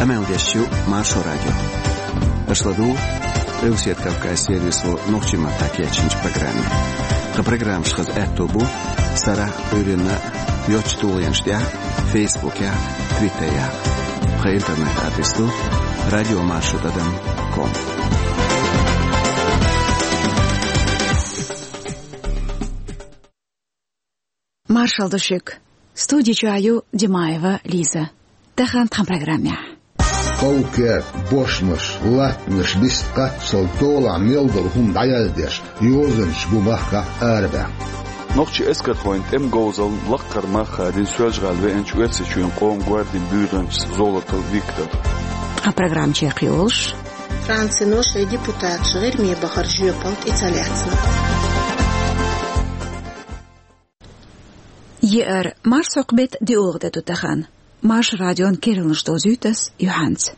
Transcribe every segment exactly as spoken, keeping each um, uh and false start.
Къамел деш ю Маршо радио. Аша ладугӀу Къилбаседа Кавказ сервисо нохчийн маттахь кечйинчу программе. Тхан программаш хаза аьтто бу сарахь а, Ӏуьйранна а йоцчу тулгӀенаш тӀехь а, Фейсбукехь а, Твиттерехь а. Тхан интернет-адрес ду радиомаршо тӀадам ком. Маршалла ду шуьга. Студи чохь ю Димаева Лиза. Тахана тхан программехь. Къовкер, бошмаш, латтанаш, бист кхаччалц долахь мел долу хӀума дӀаяздеш, йозанаш бу махкахь арабаьхна. Нохчийн эскархойн тӀеман говзаллин лаккхара мах хадийна Соьлжа-ГӀала веанчу Оьрсийчоьнан къоман гвардин буьйранчас Золотов Виктора. Тхан программа чекхйолуш. Францино шайн депутаташ ГӀирме бахаран жоьпалла тӀе ца лаьцна. Еара, марсхьокху беттан диъалгӀа де ду тахана. Маршо радион керланаш дозуьйту ас юьхьанца.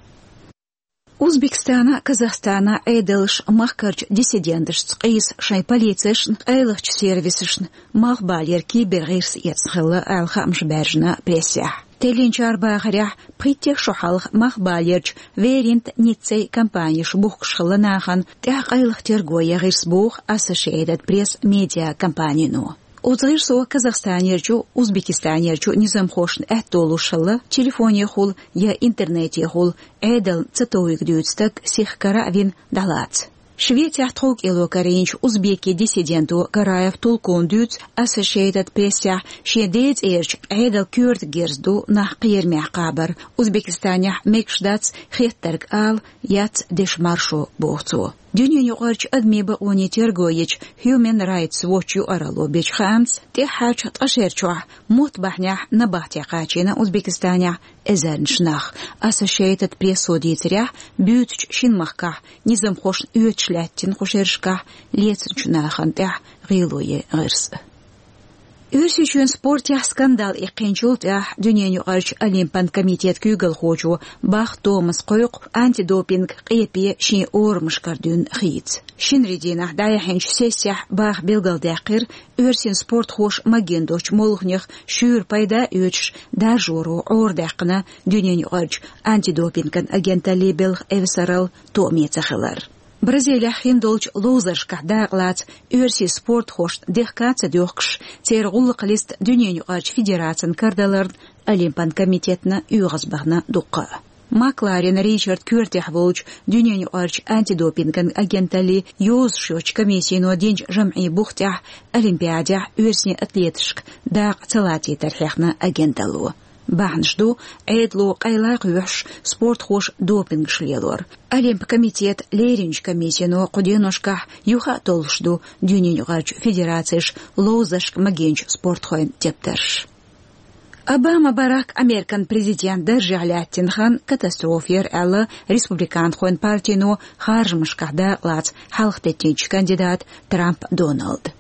Узбекистана а, Казахстана а Ӏедалша махкарчу диссиденташца къийса шайн полицешна, къайлахчу сервисашна малхбалера кибергӀирс эцна хилла аьлла хаамаш баьржина прессехь. Теллинчара бахарехь, пхийтта шо хьалха малхбалерчу Веринт, Ниццей компанеш бухкуш хилла нахана тӀехь къайлаха терго ян гӀирс боху Associated Press медиакомпанино. Оцу гӀирсо Казахстанерчу, Узбекистанерчу низамхошна аьтто луш хилла телефонехула я интернетехула Ӏедална ца товйиг дуьйцу стаг сиха кара а вина дӀалаца. Швецехь тховкӀело карийначу узбекийн диссиденто Гараев Тулкуна дуьйцу Associated Press-ехь шен ден цӀерачу Ӏедалан коьртага герз ду нах кхерамехь кхабар, Узбекистанехь мегаш дац хеттарг ала, яц дешан маршо, боху цо. Дуьненаюкъарчу адамийн бакъонийн терго ечу Human Rights Watch юкъаралло бечу хаамца, тӀаьххьарчу ткъа шерачохь мотт бахьанехь набахте кхачийна Узбекистанехь эзарнаш нах. Associated Press-о дийцарехь, буьйцучу шина махкахь низамхошна оьцуш лаьттина кху шерашкахь лецначу нахана тӀехь гӀело ян гӀирс. Оьрсийчоьнан спортехь скандал иккхинчул тӀаьхьа Дуьненаюкъарчу Олимпан комитетан куьйгалхочо Бах Томаса кхойкху антидопинг къепе шен орамашкара дуьйна хийца. Шинарин дийнахь дӀаяьхьначу сессехь Баха билгалдаьккхира, оьрсийн спортхоша магийна долчу молханех шуьйра пайда а оьцуш, даржоро Ӏорадаьккхина Дуьненаюкъарчу антидопинган агенталлин белхан эвсаралла тоаме ца хилар. Бразилехь хин долчу ловзаршкахь дакъалаца оьрсийн спортхошна дехка а ца доьхкуш, церан гӀуллакхан листа Дуьненаюкъарчу федерацина карадаларна Олимпан комитетна оьгӀазбахана дуккха а. Макларен Ричардан коьртехь волчу Дуьненаюкъарчу антидопинган агенталлин йозуш йоцчу комиссино динчу жамӀийн бух тӀехь Олимпиадехь оьрсийн атлеташка дакъа ца лацийтар хьехна агенталло. Бахьанаш ду, Ӏедало къайла кхоьхьуш, спортхоша допингаш лелор. Олимпан комитетан леринчу комиссино кху деношкахь юха а толлуш ду Дуьненаюкъарчу федерацеша ловзаршка магийначу спортхойн тептарш. Обама Барак Американ президент даржехь лаьттина хан катастрофа яра аьлла, республиканхойн партино харжамашкахь дакъалаца хьалхатеттинчу кандидата Трамп Доналда.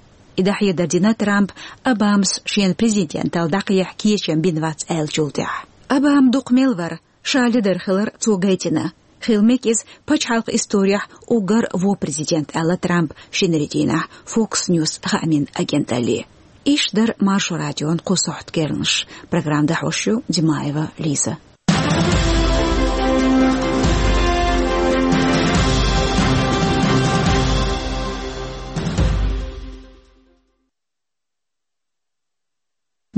И дӀахьедар дина Трампа, Обамас шена президенталла дӀакхехьа кечам бина вац аьллачул тӀаьхьа. Обама дукха мел вара, ша ледар хилар цо гайтина. Хила мега иза пачхьалкхан исторехь уггар а вон президент, аьлла Трампа шинарин дийнахь Fox News хаамийн агенталле. Иштта дара Маршо радион кху сохьта керланаш. Программа дӀахьош ю Димаева Лиза.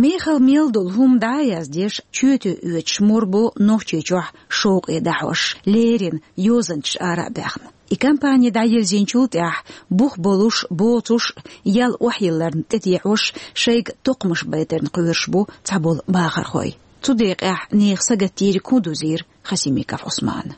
Мехала мел долу хӀума дӀа а яздеш, чоьте оьцуш мур бу Нохчийчохь шовкъе дӀахьош, леррина йозанчаш ара а баьхна. И кампани дӀайирзинчул тӀаьхьа бух болуш, боцуш, ял охьайилларна тӀедеӀош, шайга токхамаш байтарна кхоьруш бу цхьаболу бахархой. Цу декъехь нехан сагатдийриг хӀун дузийра Хасимиков Ӏусмана?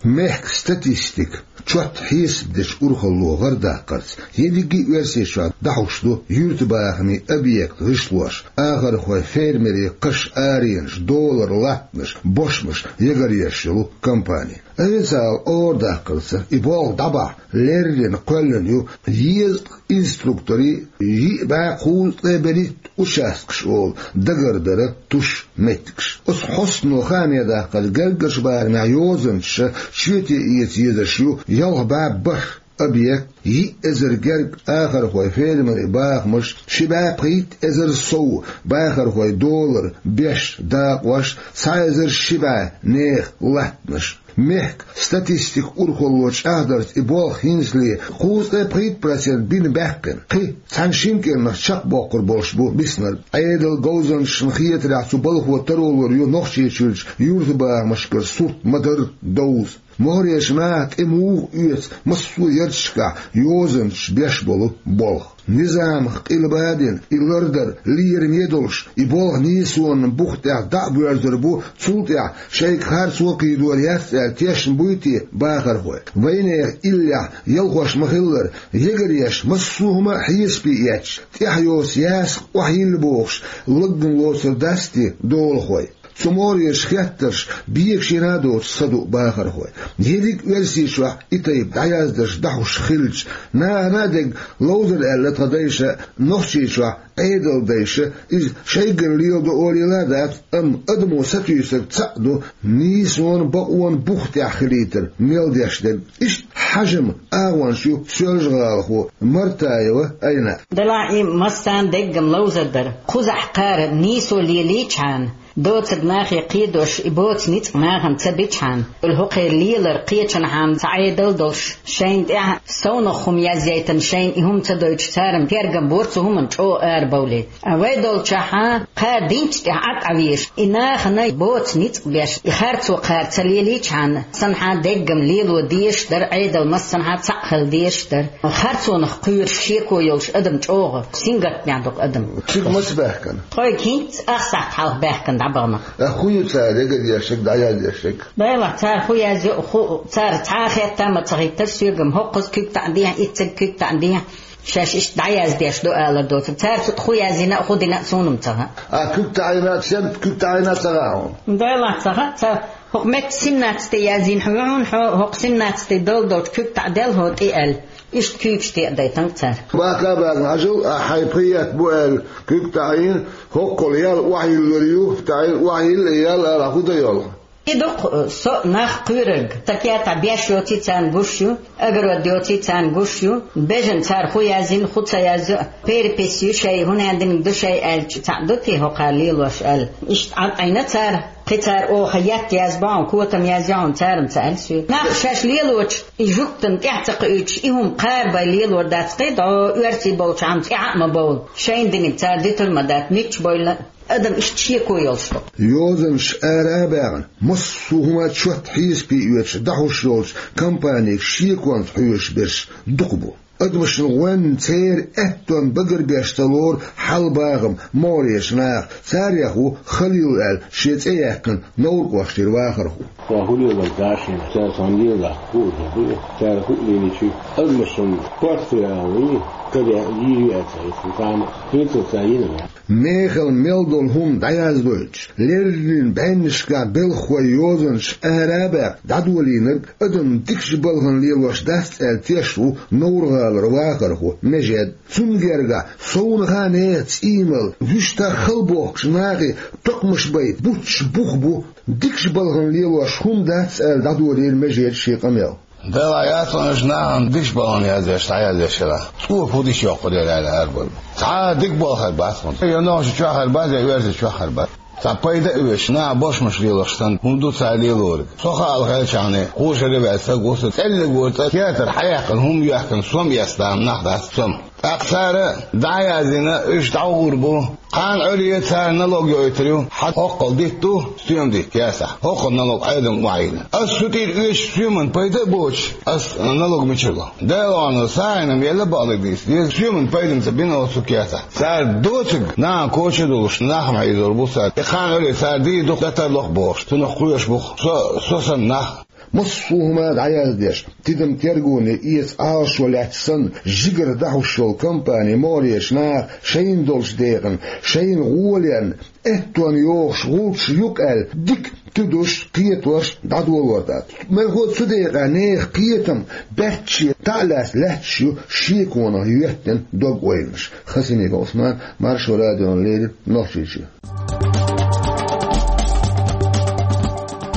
Мехкан статистика, чот хьесап дечу урхалло гӀардаккхарца, ерриге а Оьрсийчохь дӀахьуш ду юьртабахамийн объект гӀишлош, ахархой, фермерийн кхаш, аренаш, долара латтанаш, бошмаш ягаръеш йолу кампани. Официалан арадаккхарца, и болх дӀабахьа леррина кхоьллина ю дезткъа инструкторийн, йиъ бӀе кхузткъе берхӀитта участкаш олу дагардаран туш меттигаш. Оцу хьостано хааме даккхарца, гергарчу барамехь йозанчаша чоьте эца езаш ю ялх бӀе бархӀ объект, Йиъ эзар герга ахархой, фермерий бахамаш, ши бӀаь пхийтта эзар сов бахархой долар, беш, дакъош, цхьа эзар ши бӀаь нехан латтанаш. Мехка статистика урхалло чӀагӀдарца, и болх хӀинцале кхузткъе пхийтта процент бина баьккхина. Кхин цхьана-шина кӀиранах чакхбоккхур болуш бу биснарг. Ӏедалан говзанчашна хетарехь, цу балхо таро лур ю Нохчийчуьрчу юьртабахамашкара сурт ма-дарра довза. Могьречу наха тӀе муха оьцу массо а ярташкахь йозанчаша беш болу болх. Низамах къилба а дина, и лардар лераме а долуш, и болх нийсонан бух тӀехь дӀа а боьрзур бу, цул тӀаьхьа шайга харцо а кхийдор яц аьлла тешна буй те бахархой? Вайнехан иллехь ялхош ма-хиллара, ягаръеш, массо а хӀума а хьесапе эцча, тӀаьхьа йоцу ясакх охьайилла бохуш, лаггана лоцур дац те долахой? Цу могьречу хеттарша бегашийна а доцуш са ду бахархой. Ерриг а Оьрсийчохь и тайпа дӀаяздарш дӀахьуш хилча, нахана а дерг ловзар аьлла тхан дайша, Нохчийчохь Ӏедалан дайша, иза шайгара леладо олийла а дац, амма адамо сатуьйсург цхьаъ ду: нийсонан, бакъонан бух тӀехь хилийтар мел деш дерг. Иштта хьажам агӀонча ю Соьлжа-ГӀалахо Мартаева Айна. Делахь и массарна деггам ловзар дара. Кхузахь кхара нийсо лелийчхьана, доцург нахе кхийдош, и боцу ницкъ нахана ца бичхьана, уьлла хӀокхеран лелар кхечанхьа ца Ӏедал долуш, шайна тӀехь совнах хӀума язъяйтина, шайна и хӀума ца дойтуш, царна тергам бора цу хӀуманна чӀогӀа арабовлийта. А вай долчохь кхара динчу тӀехь Ӏад Ӏа везаш, и нахана боцу ницкъ беш, и харцо кхара ца лелийчхьана, санхьа деггам лело дезаш дара, Ӏедал массанхьа цхьаъ хила дезаш дара. Харцонах кхоьруш шеко йолуш адам чӀогӀа сингаттамехь ду-кх адам. Шуьга маца баьхкина? Тхойга хӀинцца ах сахьт хьалха баьхкина дӀабаханарш. А хӀун ю цара ягар еш ерг, дӀаяз еш ерг? Делахь, цара хӀун язйо, хӀу-, цара цхьа а хетта ма ца хӀиттира соьга, хӀокхуза куьг таӀадехьа, ицциг куьг таӀадехьа, шаьш иштта дӀаяздеш ду алар доцург. Цара цу тӀа хӀун язйина а, хӀун дина а суна-м ца хаьа. А куьг таӀийна, сен куьг таӀийна ца хаьа хьуна? Делахь, ца хаьа, ца, хӀокху метта семнадцатый язйина хьуна, хьо хӀокху семнадцатый долу долчу куьг таӀаделла хьо тӀе аьлла. Иштта куьйгаш тӀе а дайтина цара. Баха а баьхна, хьажал, ахь хьайн пхи етта бу аьлла куьг таӀийна, хӀоккхул ял охьайиллар ю, таӀийна охьайилла ял ала хӀун дан йолу? И ду-кх со нах кхоьрург. Сан кертахь беш йоций царна гуш ю, огород йоций царна гуш ю, бежана цара хӀун язйина, хӀун ца язйо, перепись ю шайн, хӀун хӀун динарг ду шайн аьлча, цхьаъ ду те хӀокхара лелош аьлла. Иштта Ӏад Ӏийна цара, кхин цара оха етта язбахьун, котам язйохьун, цара-м ца аьлла соьга. Нах шаьш лелочу и жуьгтана тӀаьхьа ца кхуьуьйтуш, и хӀума кхаба лелор дац кхин, дӀо оьрсий болчу хьама тӀаьхьа а ма бовла. Шайна динарг цара дитур ма дац, мичча бовла. Адам иштта шеко йолуш ду. Йозанаш ара а баьхна, массо а хӀума чот хьесапе оьцуш дӀахьуш йолчу компанега шеконца хьоьжуш берш дукха бу. Адамашна гӀоьнна церан аьттонна багарбеш ца лору хьал-бахам могӀарерчу наха. Царех ву Халил аьлла шен цӀе яьккхина Новр-кӀоштара вахархо. Сан хӀун лелар дашийна, цара сан лела, хӀун ду, цара хӀун лелийчи, адамашна корта яа вуй, кхаъ яа йийр ю аьлла ца хетта, сан хӀинца ца йина. Мехала мел долу хӀума дӀаяздойтуш, леррина бӀеннашкахь белхахой йозанаш ара а баьхна, дӀадолийнарг адам дикачу балхана лелош дац аьлла тешна ву Новр-гӀалара вахархо Межед. Цунна гергахь совнаха а нехан цӀиймал, вуьшта хала бохкучу нахе токхамаш байта бутташ бух бу, дикачу балхана лелош хӀума дац аьлла дӀадолийра Межеда шен къамел. Делахь яцкъонаш нахана дикачу балхана яздеш, дӀаяздеш хилахь, цо хӀун дича йоккхур яра аьлла арабевлла. Цхьа а дика болу хир бац хьуна. Я нохча чохь хир бац, я оьрсий чохь хир бац. Цхьа пайда а оьцуш, наха бошмаш лелош санна, хӀума ду цара лелориг. Со хаал хелчахьана, кхо шаре ваьлла стаг ву со, цӀеллиг вара цӀа, кетар хьаяьккхина, хӀума йоьхкина, сом эцна нах дац, сом. ТӀаккха цара дӀа а яздина, уьш дӀагӀур бу. Кхана Ӏуьйре цара налог йойтур ю, хьан хӀоккхул дитт ду, стоьма дитт, кесахь. ХӀоккхул налог Ӏедам охьайилла. Ас цу тӀера оьцуш стоьман пайда а боцуш, ас налог мичара ло? Делахь, сагӀина мел а бакъдерг дийца деза, стоьман пайда ца бина оцу кесахь. Цара доцург нахана коча а долуш, нах ма хьийзор бу цара. И кхана Ӏуьйре цара дийр ду-кх, датар ло-кх бохуш, цунах кхоьруш бу-кх со, со санна нах. Массо а хӀума дӀаяздеш, тидам-тергоне эца Ӏалашо лаьцна санна, жигара дӀахьуш йолу компани могӀарерчу наха шайна долчу декъана, шайна гӀоле аьттонна йохуш гӀулчаш ю-кх аьлла, дика туьдуш, кхетош дӀадолор дац. Мелхо а цу декъехь нехан кхетам баьчча таӀлаьцна лаьтташ ю шеконах йоьттина дог-ойланаш. Хасимиков Ӏусман, Маршо радиона леррина, Нохчийчоь.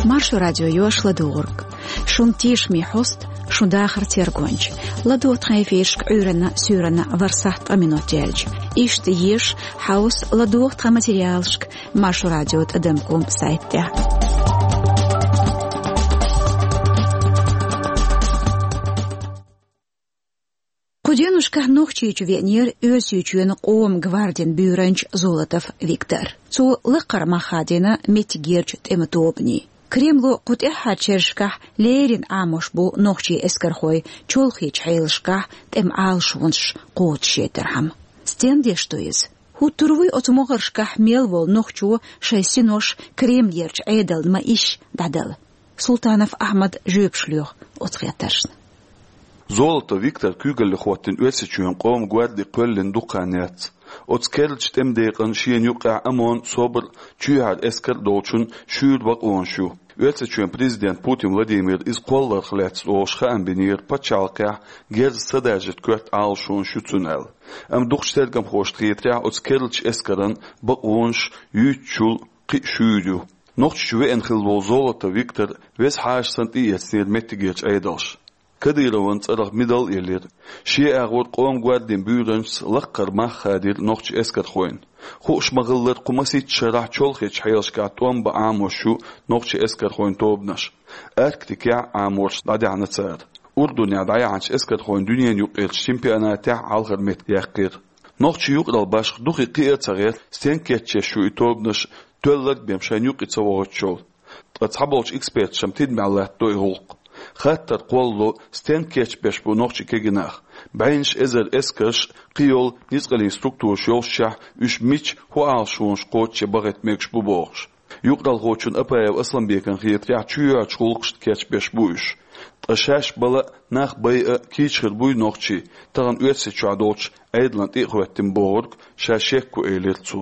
Маршо радио йош ладугӀург. Шун тешаме хьост Шун дахар тергонча. ЛадогӀа тхан эфирашка Ӏуьйранна, суьйранна вархӀ сахьт ткъа минот яьлча. Иштта еза хьовса, ладогӀа тхан материалашка Маршо радио тӀадам ком сайта тӀа. Кху деношкахь Нохчийчу веанера Оьрсийчоьнан къоман гвардин буьйранча Золотов Виктор. Цо лакхара мах хадийна меттигерчу тӀеман тобанийн. Кремло кху тӀаьххьарчу шерашкахь леррина Ӏамош бу нохчийн эскархой чолхечу хьелашкахь тӀеман Ӏалашонаш кхочушъярхьама. Стен деш ду иза? ХӀуттур вуй оцу могӀаршкахь мел волу нохчо шайн синош Кремлерчу Ӏедална ма-ишши дӀадала? Султанов Ахьмада жоьпаш лоьху оцу хаттаршна. Золотов Виктор куьйгалле хӀоттийна Оьрсийчоьнан къоман гварди кхоьллина дукха хан яц. Оцу керлачу тӀеман декъана шена юккъехь ОМОН, СОБР, чоьхьара эскар долчун шуьйра бакъонаш ю. Оьрсийчоьнан президент Путин Владимира иза кхолларх лаьцна олуш хаам бинера пачхьалкхехь герзаца садаржийта коьрта Ӏалашонаш ю цуьнан аьлла. Амма дукхачу тергамхошна хетарехь, оцу керлачу эскаран бакъонаш юьйцучул кхин а шуьйра ю. Нохчийчу веана хилла волу Золотов Виктор веза хьаша санна тӀеэцнера меттигерчу Ӏедалша. Кадыровн цӀарах медаль а елира. Шен агӀор къоман гвардин буьйранчас лакхара мах хадийра нохчийн эскархойн. Хууш ма-хиллара, кху масийтта шарахь чолхечу хьелашкахь тӀом бан Ӏамош ю нохчийн эскархойн тобанаш. Арктикехь Ӏаморш дӀадаьхьна цара. Урдунехь дӀаяьхьначу эскархойн дуьненан юкъарчу чемпионатехь хьалхара меттиг яьккхира. Нохчийн юкъаралла башха дукха кхиа а ца гӀерта, стенга кечъеш ю и тобанаш, тоьлларг бен шайна юкъа ца вохуьйтуш йолу. Ткъа цхьаболчу эксперташа-м тидамехь латтадо и гӀуллакх. Хаттар кхоллало, стенга кечбеш бу нохчийн кегий нах. БӀеннаш эзар эскарш, кхийолу ницкъаллин структураш йоллушехь, уьш мича, хӀун Ӏалашонаш кхочушъян бахийта мегаш бу бохуш. Юкъараллхочунна Апаев Асланбекна хетарехь, чоьхьарчу гӀуллакхашна кечбеш бу уьш. Ткъа шаьш бала а, нах байа а кийча хир буй нохчий, тахана Оьрсийчохь долчу Ӏедална тӀе а хӀоьттина бохург, ша шекко, элира цо.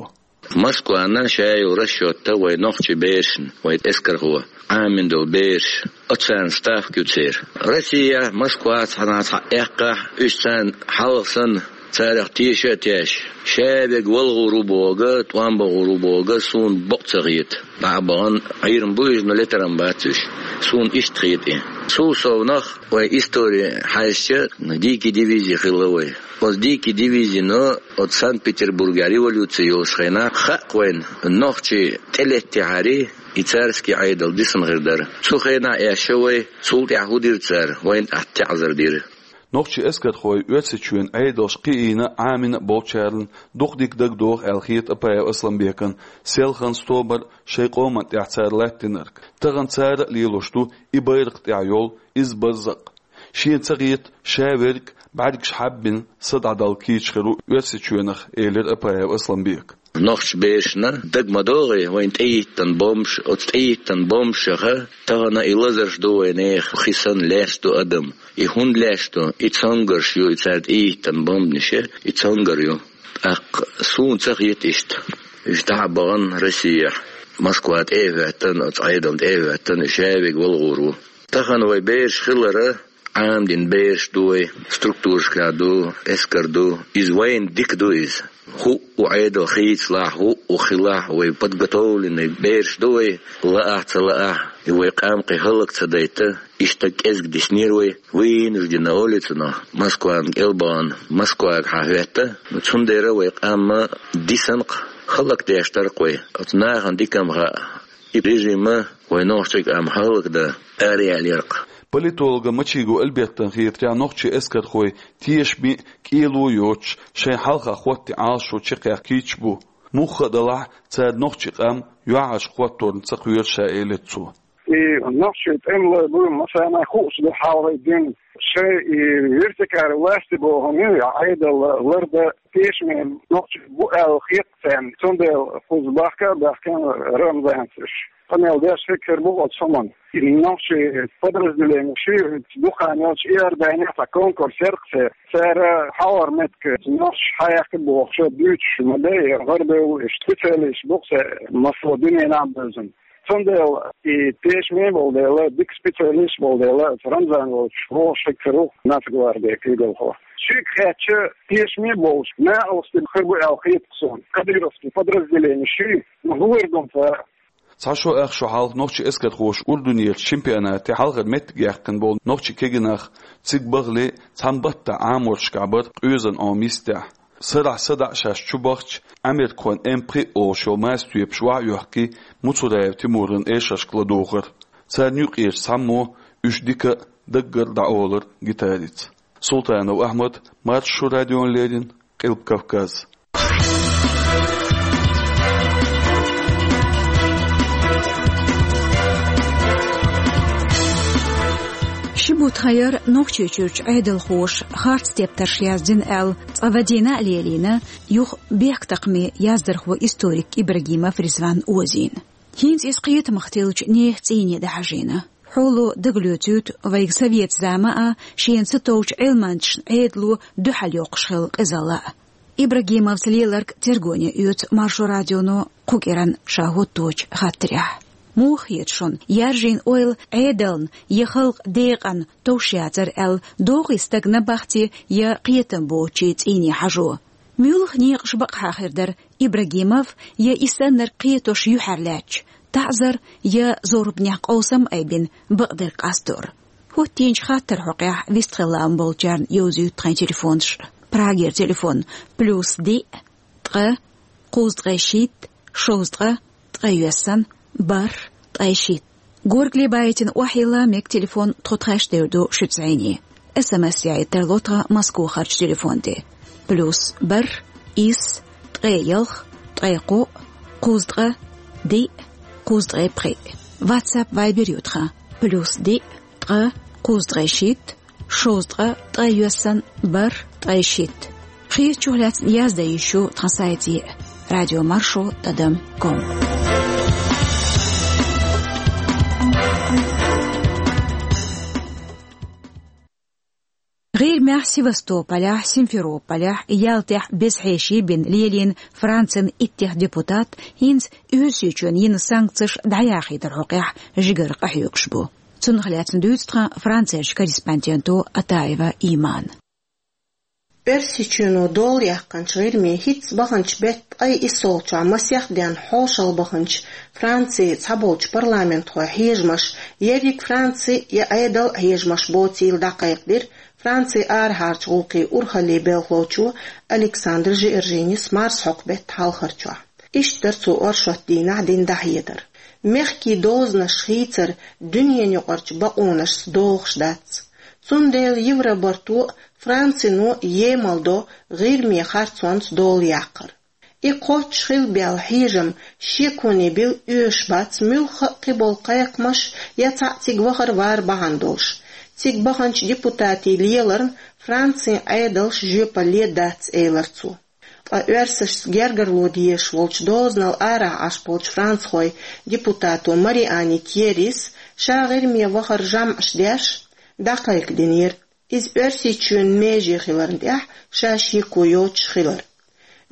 Москвана ша йолу расчетта вай нохчийн берашна, вай эскархо Ӏамийна долу бераш, оцарна ставка ю церан. Россия, Москва цхьана цхьаъ эккхахь, уьш царна хьалха санна, царах теша а тешна, ша верг вала гӀур ву бохург, тӀом бан гӀур ву бохург суна бакъ ца хета. ДӀа а бахана, Ӏийрам бу иза, но летарам бац уьш. Суна иштта хета и. Цул совнах вай истори хьаьжча, дикий дивизи хилла вай. Оцу дикий дивизино оцу Санкт-Петербургехь революци йолуш хенахь хаьа вайна, нохчий тӀелеттехьарий, и царский Ӏедал дисина хир дара. Цу хенахь эшна вай, цул тӀаьхьа хӀун дира цара, вайна тӀехь таӀзар дира. Нохчийн эскархой Оьрсийчоьнан Ӏедалша кхиийна а, Ӏамийна а болчарна дукха дика дагадогӀу аьлла хета Апаев Асланбекна селхана, стовбар шайн къоманна тӀехь цара латтийнарг. Тахана цара а лелош ду и байракх тӀехь йолу иза барзакъ. Шена ца хета, ша верг, бӀаьргаш хьаббина, са дӀадала кийча хир ву Оьрсийчоьнах, элира Апаев Асланбека. Нохчийн берашна дага ма догӀий вайна тӀехӀиттина бомбаш, оцу тӀехӀиттина бомбашха тахана и лазарш ду вайнехан, хи санна лаьцна ду адам. И хӀунда лаьцна ду? И цонгарш ю, и цара тӀехӀиттина бомбанаш, и цонгар ю. ТӀаккха суна ца хета иштта. Уьш дӀа а бахана Россехь, Москва тӀе а хӀоьттина, оцу Ӏедална тӀе а хӀоьттина, уьш ша верг вала гӀур ву. Тахана вай бераш хилар, Ӏамдина бераш ду вай, структурашкахь ду, эскар ду. Иза вайна дика ду иза. ХӀуъу Ӏедал хийцалахь, хӀуъу хилахь, вай подготовленный бераш ду вай, лаахь а, ца лаахь а, и вай къам кхин хӀаллак ца дайта, иштта кӀезиг диснера вай, вынужденно олий цунах, Москвана кӀел а бахана, Москвага хьахӀоьттина. Цундела вай къам дисна-кх, хӀаллакдеш дара-кх вай. Оцу нахана дика-м хаьа, и режим вай нохчийн къам хӀаллакдан араялийра-кх. Политолога Мачигов Альбертана хетарехь, нохчийн эскархой тешаме а, кӀело а йоцуш, шайна хьалха хӀоттийна Ӏалашо чекхъяккха кийча бу. Муха а далахь, цара нохчийн къам юьхьӀаьржа хӀотторна ца кхоьру ша, элира цо. И нохчийн тӀемалой бу, массарна хууш ду хьалхара дина. Шайн и вертикаль власти бохург, Ӏедал лардан тешаме нохчий бу аьлла хета царна. Цундела кхуза бахка а баьхкина Рамзана уьш. Къамел деш хир бу оцу хӀуманна. И нохчийн подразделенеш, дукха хан йолчу Иорданехь цхьа конкурс яра-кх церан. Цара хьалхара меттиг нохчий хьаяккха бохуш дуьйцуш ма дай, гӀарабевлла уьш, специалисташ бу-кх церан, массо а дуьненахь а бевзина. Цундела и тешаме а болу дела, дика специалисташ болу дела, Рамзан волчу вогӀуш хир ву Нацгвардин куьйгалхо. Шега хаьттича, тешаме а болуш, накъостий хир бу аьлла хета-кх суна. Кадыровский подразделенеш, но хӀун хир ду цара? Цхьа шо ах шо хьалха нохчийн эскархоша Урдунерчу чемпионате хьалхара меттиг яьккхина болу нохчийн кегийнах цига бахале цхьана баттахь Ӏаморашкахь бара къоьзан Ӏома йистехь. Сарахь садаӀа шаьш чу бахча, Ӏамеркахойн М пхиъ олуш йолу мастоьпаш охьа а йохкий, Муцураев Тимуран эшаршка ладугӀура. Царна юкъерчу цхьаммо уьш дика а, даггара а дӀаолура гитарица. Султанов Ахьмад, Маршо радиона леррина, Къилба Кавказ. Ши бутт хан яра Нохчийчуьрчу Ӏедалхоша харц тептарш яздина аьлла, цкъа вадийна а лелийна, юха бехктакхаман яздархо, историк Ибрагимов Ризван озийна. ХӀинца иза кхетамах тиллачу нехан цӀийне дӀахьажийна. Хьоло дагалоьцуьйту вайга совет зама а, шена ца товчу Ӏилманчашна Ӏедало дуьхьал йоккхуш хилла къизалла а. Ибрагимовс леларг тергоне оьцу Маршо радионо кху кӀиранна ша хӀотточу хаттарехь. Муха хета шуна, яржийна ойла Ӏедална я халкъан декъана товш яцара аьлла, догӀий стагана бахьти я кхетам боцучийн цӀийне хьажо? Муьлха некъаш бакъахьа хир дара Ибрагимов я и саннарг кхетош юьхьарлаьцча, таӀзар я зорбанехь къовсам айбина бакъдерг къастор? ХӀоттийначу хаттаран хьокъехь вистхила лаам болчарна йовзуьйту тхайн телефонаш. Прагера телефон: плюс диъ, ткъа, кхузткъе шийтта, шовзткъа, ткъе йоьссан, бархӀ, ткъе шийтта. Горгали байтина охьайилла мега телефон, тхо тхаьш дер ду шуьца зӀене. СМС яийта тарло тхан Москвахарчу телефон тӀе: плюс бархӀ, исс, ткъе ялх, ткъе кхоъ, кхузткъа, диъ, кхузткъе пхиъ. WhatsApp, Viber ю тхан: плюс диъ, ткъа, кхузткъе шийтта, шовзткъа, ткъе йоьссан, бархӀ, ткъе шийтта. Хетачух лаьцна яздан йиш ю тхан сайте: радиомаршо тӀадам ком. ГӀирмехь, Севастополехь, Симферополехь, Ялтехь беза хьеший бина лелийна Францин иттех депутат хӀинца Оьрсийчоьнна йина санкцеш дӀаяхийтаран хьокъехь жигара къахьоьгуш бу. Цунах лаьцна дуьйцу тхан Францерчу корреспонденто Атаева Имана. Оьрсийчоьно дола яьккхинчу ГӀирме хӀинцца баханчу беттан ткъе иссалгӀачохь масех денна хьошалла баханчу Францин цхьаболчу парламентхойн хьежамаш ерриг Франци я Ӏедал хьежамаш боцийла дӀакхайкхадира Францин арахьарчу гӀуллакхийн урхаллин белхалочо Александр Жиоржинис марсхьокху беттан хьалхарчохь. Иштта дара цо оршот дийнахь дина дӀахьедар. Мехкийн дозанаш хийцар дуьненаюкъарчу бакъонашца догӀуш дац. Цундела Евробарто а, Францино а емал до ГӀирме харцонца дола яккхар. И кхоччуш хила баьлла хьежам шеконе билла оьшуш бац муьлхха а кхиболу кхайкхамаш я цхьаъ цига вахар-вар бахьана долуш. Цига баханчу депутатийн леларна Францин Ӏедалш жоьпалле дац, элира цо. Ткъа оьрсашца гергарло дезаш волчу дозанал арахь Ӏаш болчу францхойн депутато Мариани Тьеррис ша ГӀирме вахар жамӀаш деш, дӀакхайкхадинера иза Оьрсийчоьнан меже хиларна тӀехь ша шеко йоцуш хилар.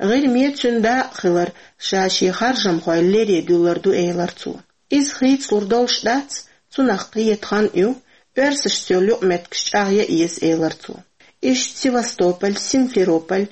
ГӀирме цуьнан дакъа хилар ша шен харжамхой лере дуьллур ду, элира цо. Иза хийцалур долуш дац, цунах кхета хан а ю, оьрсашца йолу юкъаметтигаш чӀагӀъян еза, элира цо. Иштта Севастополь, Симферополь,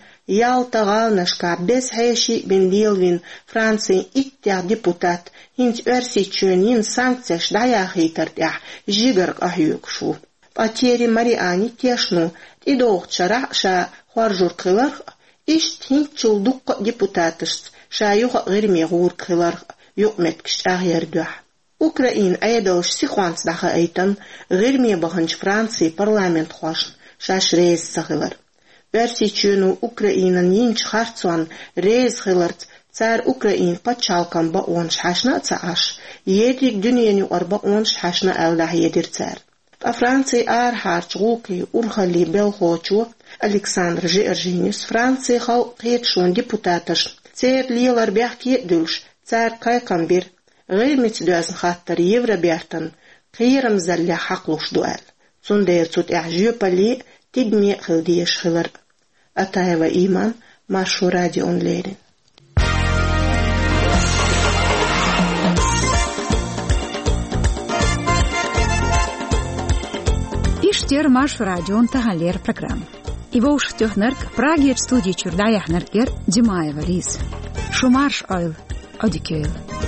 Ялта гӀаланашкахь беза хьеший бина лелийна Францин иттех депутат хӀинца Оьрсийчоьнна йина санкцеш дӀаяхийтарна тӀехь жигара къахьоьгуш ву. Ткъа Тьерри Мариани тешна ву, тӀедогӀучу шарахь а ша хоржург хиларх а, иштта хӀинцачул дуккха а депутаташца ша юха а ГӀирме гӀург хиларх а юкъаметтигаш чӀагӀъяран дуьхьа. Украинан Ӏедалша сихонца дӀахаийтина ГӀирме баханчу Францин парламентхошна шаьш реза ца хилар. Оьрсийчоьно Украинана йинчу харцонна реза хиларца цара Украинан пачхьалкхан бакъонаш хьаьшна а ца Ӏаш, ерриг дуьненаюкъара бакъонаш хьаьшна аьлла дӀахьедира цара. Ткъа Францин арахьарчу гӀуллакхийн урхаллин белхалочо Александр Жиоржинис Францин халкъан кхеташонан депутаташна, церан лелар бехке а дуьллуш, цаьрга кхайкхам бира ГӀирмица доьзна хаттар Евробертан кхерамзаллех хьакхалуш ду аьлла, цундела цу тӀехь жоьпалле а, тидаме а хила дезаш хилар. Атаева Иман, Маршо радиона леррина. Иштта яра Маршо радион таханлера программа. И вовшахтоьхнарг, Прагерчу студи чуьра дӀаяьхьнарг яра Димаева Лиза. Шу марша Ӏойла, Ӏодика йойла.